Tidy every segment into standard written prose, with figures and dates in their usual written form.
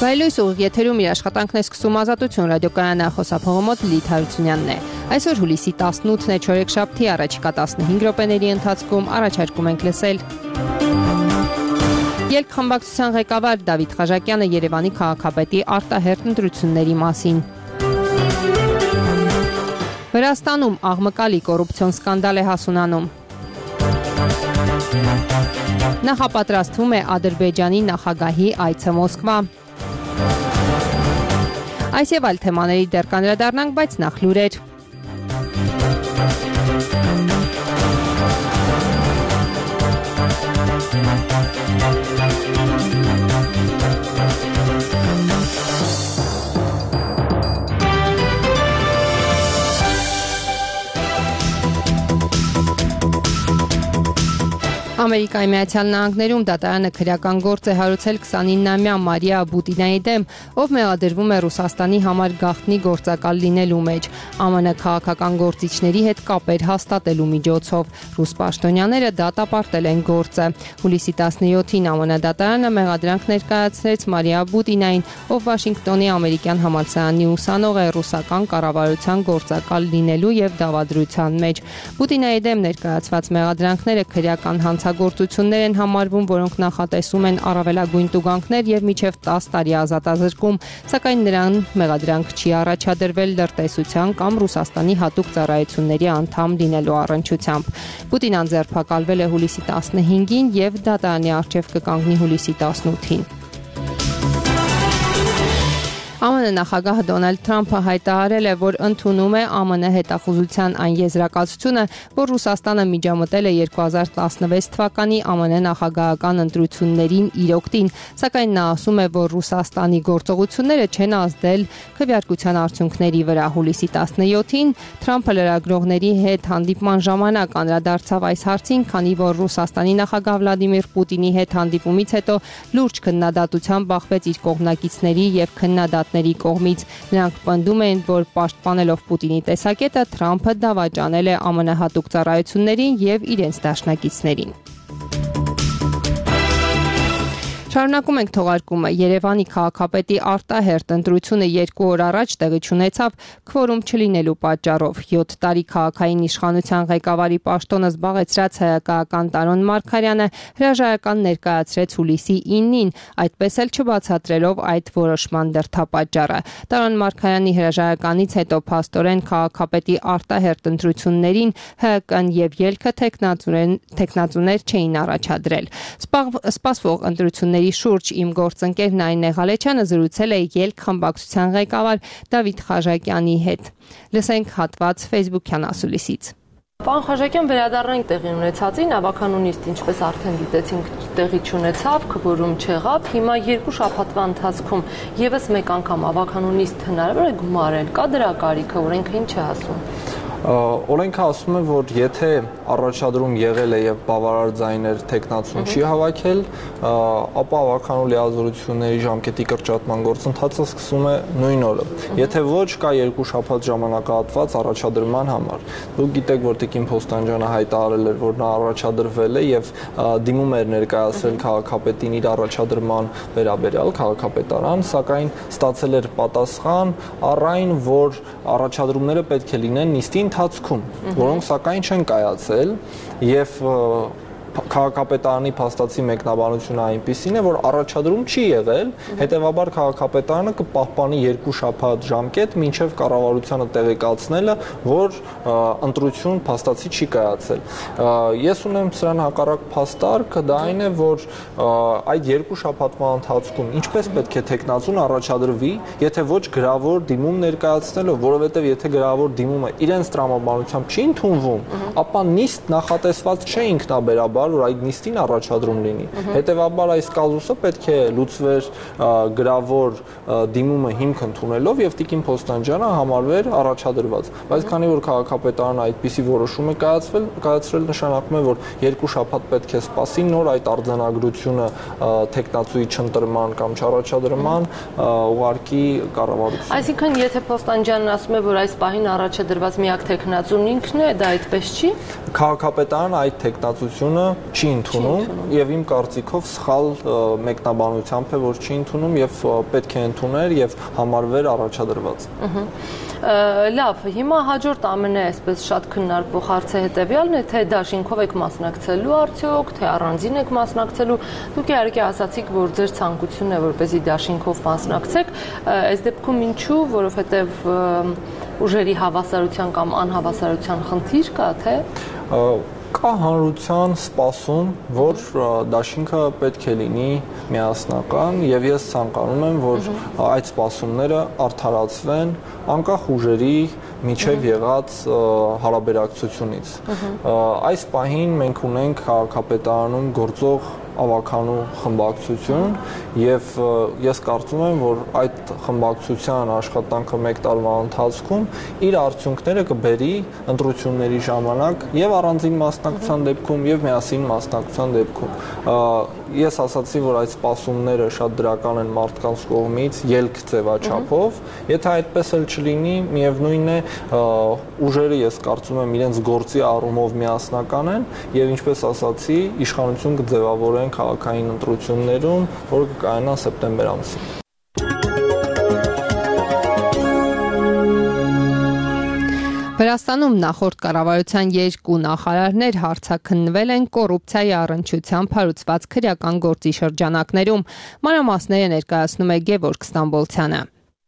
Վայելույս ուղիղ եթերում իր աշխատանքն է սկսում Ազատություն ռադիոկայանի խոսափողը մոտ Լիլիթ Հարությունյանն է։ Այսօր հուլիսի 18-ն է, չորեքշաբթի, առաջիկա 15 րոպեների ընթացքում առաջարկում ենք լսել Ելք խմբակցության ղեկավար Դավիթ Խաժակյանը Երևանի քաղաքապետի արտահերթ ընտրությունների մասին։ Վրաստանում աղմկալի կոռուպցիոն սկանդալ է հասունանում։ Նախապատրաստվում է Ադրբեջանի նախագահի այցը Մոսկվա։ Այս եւ այլ թեմաների դեռ կանդրադառնանք, բայց նախ լուրեր։ Ամերիկայի Միացյալ Նահանգներում դատարանը քրեական գործ է հարուցել 29-ամյա Մարիա Բուտինայի դեմ, ով մեղադրվում է Ռուսաստանի համար գաղտնի գործակալ լինելու մեջ, ԱՄՆ քաղաքական գործիչների հետ կապեր հաստատելու միջոցով։ Ռուս պաշտոնյաները դատապարտել են գործը։ Հուլիսի 17-ին ԱՄՆ դատարանը մեղադրանք ներկայացրեց Մարիա Բուտինային, ով Վաշինգտոնի ամերիկյան համալսարանի ուսանող է ռուսական կառավարության գործակալ լինելու եւ դավադրության մեջ։ Բուտինայի դեմ ներկայացված մեղադրանքները քրեական գործություններ են համարվում, որոնք նախատեսում են առավելագույն տուգանքներ եւ մինչեւ 10 տարի ազատազրկում, սակայն նրան մեղադրանք չի առաջադրվել լրտեսության կամ Ռուսաստանի հատուկ ծառայությունների անդամ լինելու առնչությամբ։ Պուտինան ձերբակալվել է հուլիսի 15-ին եւ դատարանի առջեւ կկանգնի հուլիսի 18-ին։ ԱՄՆ նախագահ Դոնալդ Թրամփը հայտարարել է, որ ընդունում է ԱՄՆ հետախուզության այն եզրակացությունը, որ Ռուսաստանը միջամտել է 2016 թվականի ԱՄՆ նախագահական ընտրություններին իր օգտին, սակայն նա ասում է, որ Ռուսաստանի գործողությունները չեն ազդել քվեարկության արդյունքների վրա։ Հուլիսի 17-ին Թրամփը լրագրողների հետ հանդիպման ժամանակ անդրադարձավ այս հարցին, քանի որ Ռուսաստանի նախագահ Վլադիմիր Պուտինի հետ հանդիպումից հետո լուրջ քննադատության բախվեց իր կողմնակիցների եւ քննադատների կողմից։ Նրանք պնդում են, որ պաշտպանելով Պուտինի տեսակետը Թրամփը դավաճանել է ԱՄՆ հատուկ ծառայություններին եւ իրենց դաշնակիցներին։ Շարունակում ենք թողարկումը։ Երևանի քաղաքապետի արտահերթ ընտրությունը 2 օր առաջ տեղի ունեցավ քվորում չլինելու պատճառով։ 7 տարի քաղաքային իշխանության ղեկավարի պաշտոնը զբաղեցրած հայկական Տարոն Մարգարյանը հրաժարական ներկայացրեց հուլիսի 9-ին, այդպես էլ չբացատրելով այդ որոշման դրդապատճառը։ Տարոն Մարգարյանի հրաժարականից հետո փաստորեն քաղաքապետի արտահերթ ընտրություններին ՀԿ-ն եւ ելքը տեխնացուներ չէին առաջադրել։ Սպասվող ընտրությունների շուրջ իմ գործընկեր Նարինե Ղալեչյանը զրուցել է Ելք խմբակցության ղեկավար Դավիթ Խաժակյանի հետ։ Լսենք հատված Facebook-յան ասուլիսից։ Պարոն Խաժակյան, վերադառնանք տեղի ունեցածին, ավականունիստ, ինչպես արդեն գիտեցինք, տեղի չունեցավ, քվորում չեղավ, հիմա 2 շաբաթվա ընթացքում եւս մեկ անգամ ավականունիստ հնարավոր է գումարել, կա դրա կարիքը, օրենքը ինչ է ասում։ Օրենքը ասում է, որ եթե առաջադրում եղել է եւ բավարար ձայներ տեխնացուն չի հավաքել, ապա ավականու լիազորությունների ժամկետի կրճատման գործընթացը սկսում է նույն օրը։ Եթե ոչ, կա 2 շաբաթ ժամանակահատված առաջադրման համար։ Դուք գիտեք, որ Տիկին Փոստանջյանը հայտարարել էր, որ նա առաջադրվել է եւ դիմում էր ներկայացրել քաղաքապետին իր առաջադրման վերաբերյալ քաղաքապետարան, սակայն ստացել էր պատասխան առ այն, որ առաջադրումները պետք է լինեն նիստի ընթացքում, որոնք սակայն չեն կայացել եւ քաղաքապետարանի փաստացի մեկնաբանությունը այնպիսին է, որ առաջադրում չի եղել, հետեւաբար քաղաքապետարանը կպահպանի 2 շաբաթ ժամկետ մինչև կառավարությանը տեղեկացնելը, որ ընտրություն փաստացի չի կայացել։ Ես ունեմ սրան հակառակ փաստարկ, դա այն է, որ այդ 2 շաբաթվա ընթացքում ինչպես պետք է տեխնացուն առաջադրվի, եթե ոչ գրավոր դիմում ներկայացնելով, որովհետև եթե գրավոր դիմումը իրենց տրամաբանությամբ չի ընդունվում, ապա նիստ նախատեսված չէ ինքնաբերաբար որ այդ նիստին առաջադրում լինի։ Հետևաբար այս կազուսը պետք է լուծվեր գրավոր դիմումը հիմք ընդունելով եւ Տիկին Փոստանջյանը համարվեր առաջադրված։ Բայց քանի որ քաղաքապետարանը այդպիսի որոշում է կայացրել, նշանակում է, որ 2 շաբաթ պետք է սպասի նոր այդ արձանագրությունը տեխնացուի չընտրման կամ չառաջադրման ուղարկի կառավարություն։ Այսինքն, եթե Փոստանջյանն ասում է, որ այս պահին առաջադրված միակ տեխնացուն ինքն է, դա այդպես չի։ Քաղաքապետարանը այդ տեխնացությունը չի ընդունում եւ իմ կարծիքով սխալ մեկնաբանությամբ է, որ չի ընդունում եւ պետք է ընդուներ եւ համարվեր առաջադրված։ Լավ, հիմա հաջորդ ամենը այսպես շատ քննարկվող հարցը հետեւյալն է, թե դաշինքով եք մասնակցելու արդյոք, թե առանձին եք մասնակցելու։ Դուք իհարկե ասացիք, որ ձեր ցանկությունն է, որպեսզի դաշինքով մասնակցեք, այս դեպքում ինչու, որովհետեւ ուժերի հավասարության կամ անհավասարության խնդիր կա, թե կա հանրության սպասում, որ դաշինքը պետք է լինի միասնական եւ ես ցանկանում եմ, որ այդ սպասումները արդարացվեն անկախ ուժերի միջև եղած հարաբերակցությունից։ Այս պահին մենք ունենք քաղաքապետարանում գործող ավականու խմբակցություն եւ ես կարծում եմ, որ այդ խմբակցության աշխատանքը մեկ տարվա ընթացքում իր արդյունքները կբերի ընտրությունների ժամանակ եւ առանձին մասնակցության դեպքում եւ միասին մասնակցության դեպքում։ Ես ասացի, որ այդ սպասումները շատ դրական են մարդկանց կողմից ելք ձևաչափով, եթե այդպես էլ չլինի, միևնույն է ուժերը ես կարծում եմ իրենց գործի առումով միասնական են եւ ինչպես ասացի, իշխանություն կձևավորեն քաղաքային ընտրություններում, որը կկայանա սեպտեմբեր ամսին։ Վրաստանում նախորդ կառավարության 2 նախարարներ հարցաքննվել են կոռուպցիայի առնչությամբ հարուցված քրեական գործի շրջանակներում։ Մանրամասները ներկայացնում է Գևորգ Ստամբոլցյանը։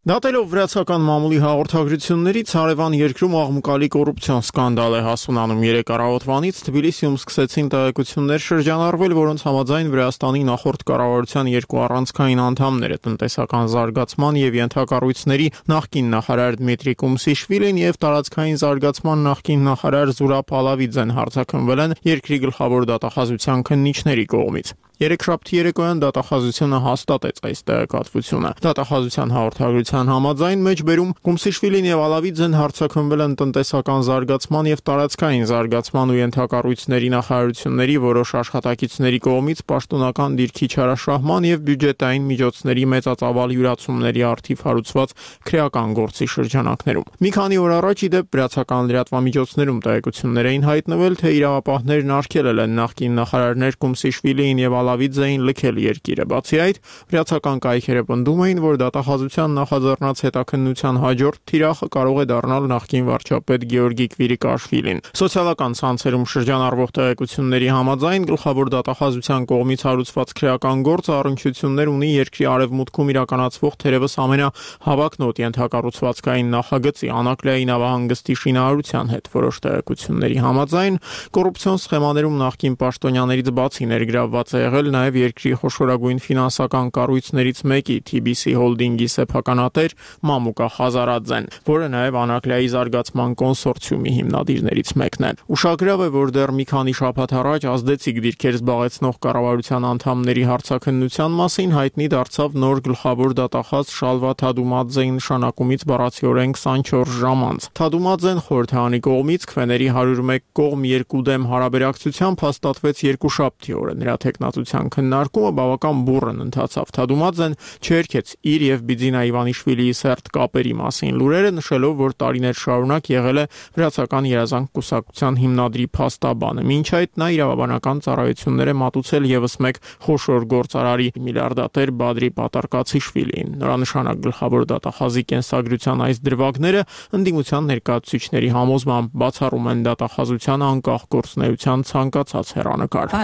Դատելով վրացական մամուլի հաղորդագրություններից հարևան երկրում աղմուկալի կոռուպցիոն սկանդալ է հասունանում։ 3 առավոտվանից Թբիլիսիում սկսեցին տեղեկություններ շրջանառվել, որոնց համաձայն Վրաստանի նախորդ կառավարության 2 առանցքային անդամները տնտեսական զարգացման եւ ենթակառույցների նախկին նախարար Դմիտրի Կումսիշվիլին եւ տարածքային զարգացման նախկին նախարար Զուրաբ Ալավիձեն հարցաքննվել են երկրի գլխավոր դատախազության քննիչների կողմից։ Երեքշաբթի երեկոյան դատախազությունը հաստատեց այս տեղեկատվությունը։ Դատախազության հաղորդագրության համաձայն մեջբերում Կումսիշվիլին եւ Ալավիձեն հարցաքննվել են տնտեսական զարգացման եւ տարածքային զարգացման ու ենթակառույցների նախարարությունների որոշ աշխատակիցների կողմից պաշտոնական դիրքի չարաշահման եւ բյուջետային միջոցների մեծածավալ յուրացումների առթիվ հարուցված քրեական գործի շրջանակներում։ Մի քանի օր առաջ ի դեպ վրացական լրատվամիջոցներում տեղեկություններ էին հայտնվել, թե իրավապահներն արգելել են նախկին նախարարներ Կումսիշվիլիին եւ Ալավիձեին լքել երկիրը։ Բացի այդ, վրացական կայքերը պնդում էին, որ դատախազության նախաձեռնած հետաքննության հաջորդ թիրախը կարող է դառնալ նախկին վարչապետ Գեորգի Կվիրիկաշվիլին։ Սոցիալական ցանցերում շրջանառվող տեղեկությունների համաձայն գլխավոր դատախազության կողմից հարուցված քրեական գործը առնչություններ ունի երկրի արևմուտքում իրականացվող թերևս ամենահավակնոտ ենթակառուցվածքային նախագծի Անակլիայի նավահանգստի շինարարության հետ։ Որոշ տեղեկությունների համաձայն կոռուպցիոն սխեմաներում նախկին պաշտոնյաներից բացի ներգրավված է եղել նաև երկրի խոշորագույն ֆինանսական կառույցներից մեկի TBC Holding-ի սեփականատեր Մամուկա Խազարաձեն, որը նաև Անակլիայի զարգացման կոնսորցիումի հիմնադիրներից մեկն է։ Ուշագրավ է, որ դեռ մի քանի շաբաթ առաջ ազդեցիկ դիրքեր զբաղեցնող կառավարության անդամների հարցաքննության մասին հայտնի դարձավ նոր գլխավոր դատախազ Շալվա Թադումաձեի նշանակումից բառացիորեն 24 ժամ անց։ Թադումաձեն խորհրդարանի կողմից քվեների 101 կողմ 2 դեմ հարաբերակցությամբ հաստատվեց երկուշաբթի օրը։ Նրա թեկնածության քննարկումը բավական բուռն ընթացավ։ Թադումաձեն չերքեց իր եւ Բիձինա Իվանիշվիլիի սերտ կապերի մասին լուրերը, նշելով, որ տարիներ շարունակ եղել է վրացական երազանք կուսակցության հիմնադրի փաստաբանը։ Մինչ այդ նա իրավաբանական ծառայություններ է մատուցել եւս մեկ խոշոր գործարարի միլիարդատեր Բադրի Պատարկացիշվիլիին։ Նորանշանակ գլխավոր դատախազի կենսագրության այս դրվագները ընդդիմության ներկայացուցիչների համոզմամբ բացառում են դատախազության անկախ գործունեության ցանկացած հեռանկար։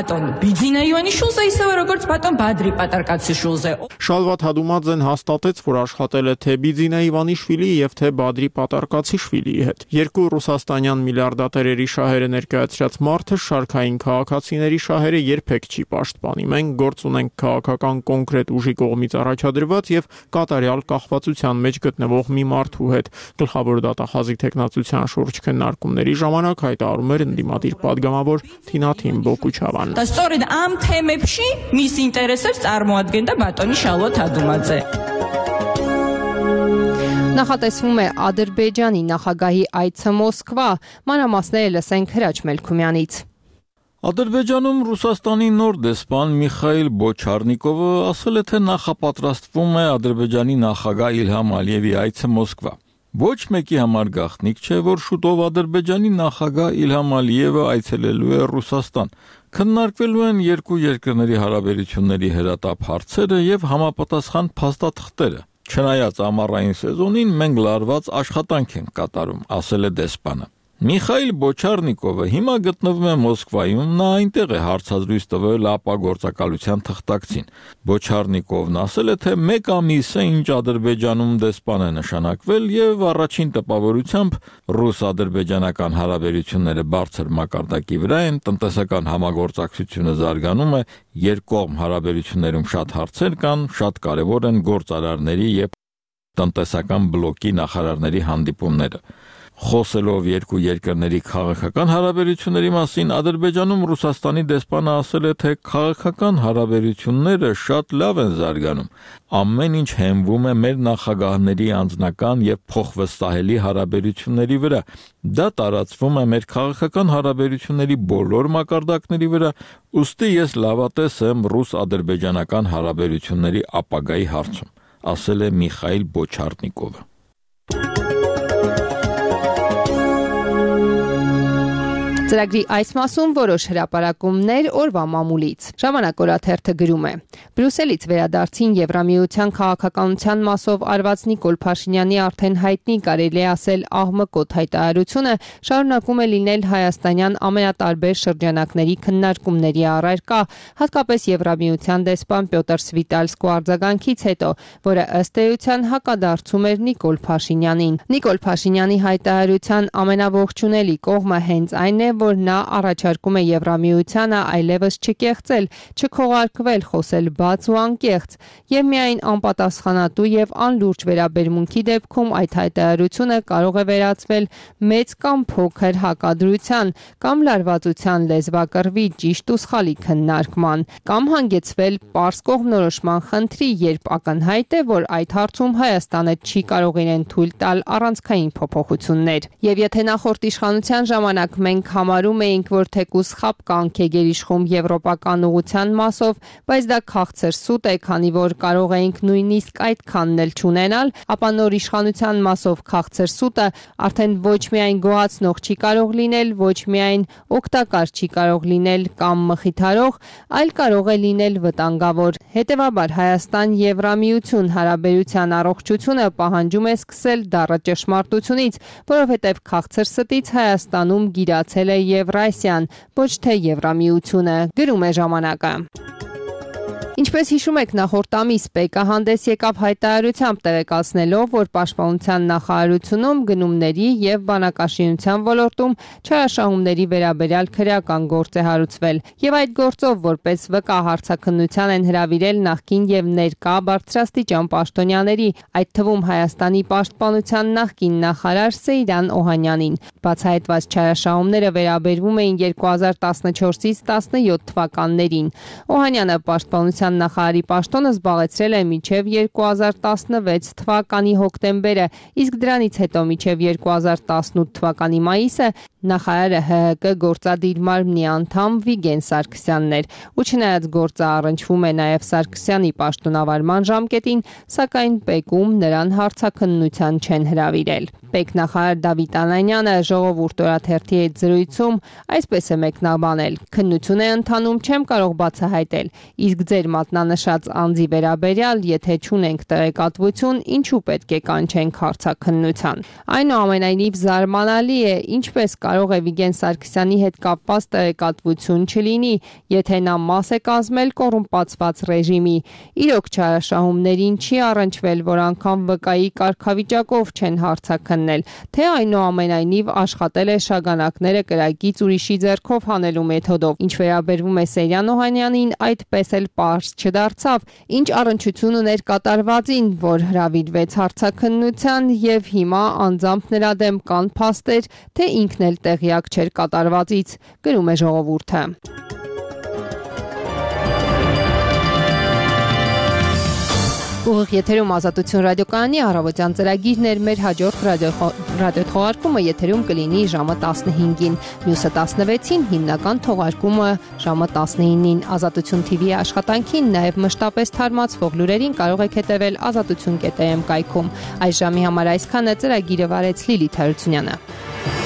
Բիձինա Իվանիշուլզը իսը որոց պատոն Բադրի Պատարկացիշուլզը։ Շալվա Թադումաձեն հաստատեց, որ աշխատել է թե Բիձինա Իվանիշվիլիի եւ թե Բադրի Պատարկացիշվիլիի հետ։ Երկու ռուսաստանյան միլիարդատերերի շահերը ներկայացրած մարդը շարքային քաղաքացիների շահերը երբեք չի պաշտպանի։ Մենք գործ ունենք քաղաքական կոնկրետ ուժի կողմից առաջադրված եւ կատարյալ կախվածության մեջ գտնվող մի մարդու հետ։ Գլխավոր դատախազի թեկնածության շուրջ քննարկումների ժամանակ հայտարարում էր ընդդիմադիր падգամավոր Թինաթին Բոկուչավան։ Ստորին ամ թեմեփշի միս ինտերեսեր ծառմոադգենდა բատոնի Շալվա Թադումաձե։ Նախատեսվում է Ադրբեջանի նախագահի այցը Մոսկվա։ Մանրամասները լսենք Հրաչ Մելքումյանից։ Ադրբեջանում Ռուսաստանի նոր դեսպան Միխայիլ Բոչարնիկովը ասել է, թե նախապատրաստվում է Ադրբեջանի նախագահ Իլհամ Ալիևի այցը Մոսկվա։ Ոչ մեկի համար գաղտնիք չէ, որ շուտով Ադրբեջանի նախագահ Իլհամ Ալիևը այցելելու է Ռուսաստան։ Քննարկվելու են երկու երկրների հարաբերությունների հրատապ հարցերը եւ համապատասխան փաստաթղթերը։ Չնայած ամառային սեզոնին մենք լարված աշխատանք ենք կատարում, ասել է դեսպանը։ Միխայիլ Բոչարնիկովը հիմա գտնվում է Մոսկվայում, նա այնտեղ է հարցազրույց տվել ապագործակալության թղթակցին։ Բոչարնիկովն ասել է, թե 1 ամիս է ինչ Ադրբեջանում դեսպան է նշանակվել եւ առաջին տպավորությամբ ռուս-ադրբեջանական հարաբերությունները բարձր մակարդակի վրա են, տնտեսական համագործակցությունը զարգանում է, երկկողմ հարաբերություններում շատ հարցեր կան, շատ կարեւոր են գործարարների եւ տնտեսական բլոկի նախարարների հանդիպումները։ Խոսելով երկու երկրների քաղաքական հարաբերությունների մասին, Ադրբեջանում Ռուսաստանի դեսպանը ասել է, թե քաղաքական հարաբերությունները շատ լավ են զարգանում։ Ամեն ինչ հենվում է մեր նախագահների անձնական եւ փոխվստահելի հարաբերությունների վրա։ Դա տարածվում է մեր քաղաքական հարաբերությունների բոլոր մակարդակների վրա, ուստի ես լավատես եմ ռուս-ադրբեջանական հարաբերությունների ապագայի հարցում, ասել է Միխայիլ Բոչարնիկովը։ Ծրագրի այս մասում որոշ հրապարակումներ օրվա մամուլից։ Ժամանակ օրաթերթը գրում է. Բրյուսելից վերադարձին Եվրամիության քաղաքականության մասով արված Նիկոլ Փաշինյանի արդեն հայտնի կարելի ասել աղմկոտ հայտարարությունը շարունակում է լինել հայաստանյան ամենատարբեր շրջանակների քննարկումների առարկա, հատկապես Եվրամիության դեսպան Պյոտր Սվիտալսկու արձագանքից հետո, որը ըստ էության հակադարձում էր Նիկոլ Փաշինյանին։ Նիկոլ Փաշինյանի հայտարարության ամենաողջունելի կողմը հենց այն է, որ նա առաջարկում է Եվրամիությանը այլևս չկեղծել, չքողարկվել, խոսել բաց ու անկեղծ, եւ միայն անպատասխանատու եւ անլուրջ վերաբերմունքի դեպքում այդ հայտարարությունը կարող է վերածվել մեծ կամ փոքր հակադրության կամ լարվածության լեզվակռվի ճիշտ ու սխալի քննարկման, կամ հանգեցվել պարզ կողմնորոշման խնդրի, երբ ակնհայտ է, որ այդ հարցում Հայաստանը չի կարող իրեն թույլ տալ առանցքային փոփոխություններ։ Եվ եթե նախորդ իշխանության ժամանակ մենք համարում էինք, որ թեկուզ խապկանք է գերիշխում եվրոպական ուղղության մասով, բայց դա քաղցր սուտ է, քանի որ կարող էինք նույնիսկ այդքանն էլ չունենալ, ապա նոր իշխանության մասով քաղցր սուտը արդեն ոչ միայն գոհացնող չի կարող լինել, ոչ միայն օգտակար չի կարող լինել կամ մխիթարող, այլ կարող է լինել վտանգավոր։ Հետևաբար Հայաստան-Եվրամիություն հարաբերության առողջությունը պահանջում է սկսել դառը ճշմարտությունից, որովհետև քաղցր ստից Հայաստանում գիրացել է Եվրասիան, ոչ թե Եվրամիությունը, գրում է ժամանակը։ Ինչպես հիշում եք, նախորդ ամիս ՊԿ հանդես եկավ հայտարարությամբ տեղեկացնելով, որ Պաշտպանության նախարարությունում գնումների եւ բանակաշինության ոլորտում չարաշահումների վերաբերյալ քրեական գործ է հարուցվել, եւ այդ գործով որպես վկա հարցաքննության են հրավիրել նախկին եւ ներկա բարձրաստիճան պաշտոնյաների, այդ թվում Հայաստանի Պաշտպանության նախկին նախարար Սեյրան Օհանյանին։ Բացահայտված չարաշահումները վերաբերվում էին 2014-ից 17 թվականներին։ Օհանյանը Պաշտպանության նախարարի պաշտոնը զբաղեցրել է մինչև 2016 թվականի հոկտեմբերը, իսկ դրանից հետո մինչև 2018 թվականի մայիսը նախարարը ՀՀԿ գործադիր մարմնի անդամ Վիգեն Սարգսյանն էր, ու չնայած գործը առնչվում է նաև Սարգսյանի պաշտոնավարման ժամկետին, սակայն ՊԿ-ում նրան հարցաքննության չեն հրավիրել։ ՊԵԿ նախարար Դավիթ Անանյանը Ժողովուրդ օրաթերթի հետ զրույցում այսպես է մեկնաբանել. քննություն է ընթանում, չեմ կարող բացահայտել, իսկ ձեր մատնանշած անձի վերաբերյալ, եթե չունենք տեղեկատվություն, ինչու պետք է կանչենք հարցաքննության։ Այնուամենայնիվ զարմանալի է, ինչպես կարող է Վիգեն Սարգսյանի հետ կապված տեղեկատվություն չլինի, եթե նա մաս է կազմել կոռումպացված ռեժիմի։ Իրոք չարաշահումներին չի առնչվել, որ անգամ վկայի կարգավիճակով չեն հարցաքննել, թե այնուամենայնիվ աշխատել է շագանակները կրակից ուրիշի ձեռքով հանելու մեթոդով։ Ինչ վերաբերվում է Սեյրան Օհանյանին, այդպես էլ պարզ չդարձավ, ինչ առնչություն ուներ կատարվածին, որ հրավիրվեց հարցաքննության, եւ հիմա անձամբ նրա դեմ կան փաստեր, թե ինքն էլ տեղյակ չէր կատարվածից, գրում է Ժողովուրդը։ Ուղիղ եթերում Ազատություն ռադիոկայանի առավոտյան ծրագիրն էր, մեր հաջորդ ռադիոթողարկումը եթերում կլինի ժամը 15-ին, մյուսը 16-ին, հիմնական թողարկումը ժամը 19-ին։ Ազատություն TV-ի աշխատանքին, նաև մշտապես թարմացվող լուրերին կարող եք հետևել azatutun.am կայքում։ Այս ժամի համար այսքանը, ծրագիրը վարեց Լիլիթ Հարությունյանը։